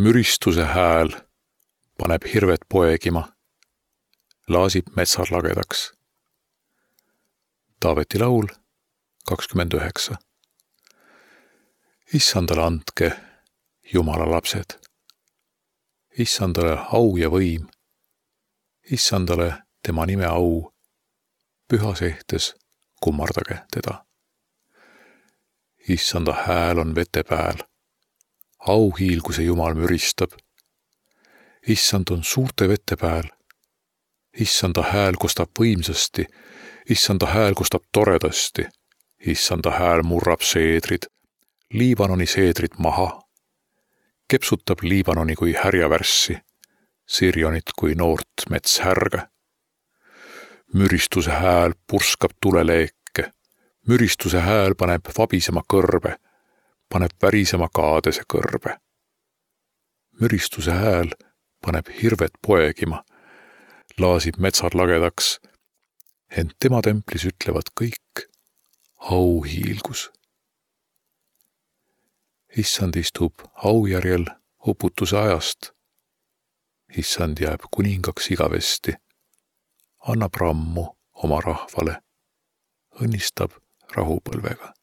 Müristuse hääl paneb hirved poegima, laasib metsad lagedaks. Taaveti laul 29. Issandale andke, Jumala lapsed. Issandale au ja võim. Issandale tema nime au. Pühas ehtes kummardage teda. Issanda hääl on vete pääl. Auhiilguse Jumal müristab. Issand on suurte vete pääl. Issanda hääl kostab võimsasti. Issanda hääl kostab toredasti. Issanda hääl murrab seedrid, Liibanoni seedrid maha. Kepsutab Liibanoni kui härjavärssi, Sirjonit kui noort metshärge. Müristuse hääl purskab tuleleeke. Müristuse hääl paneb vabisema kõrbe, paneb värisema kaadese kõrbe. Müristuse hääl paneb hirved poegima, laasib metsad lagedaks, ent tema templis ütlevad kõik auhiilgus. Issand istub aujärjel uputuse ajast. Issand jääb kuningaks igavesti, annab rammu oma rahvale, õnnistab rahupõlvega.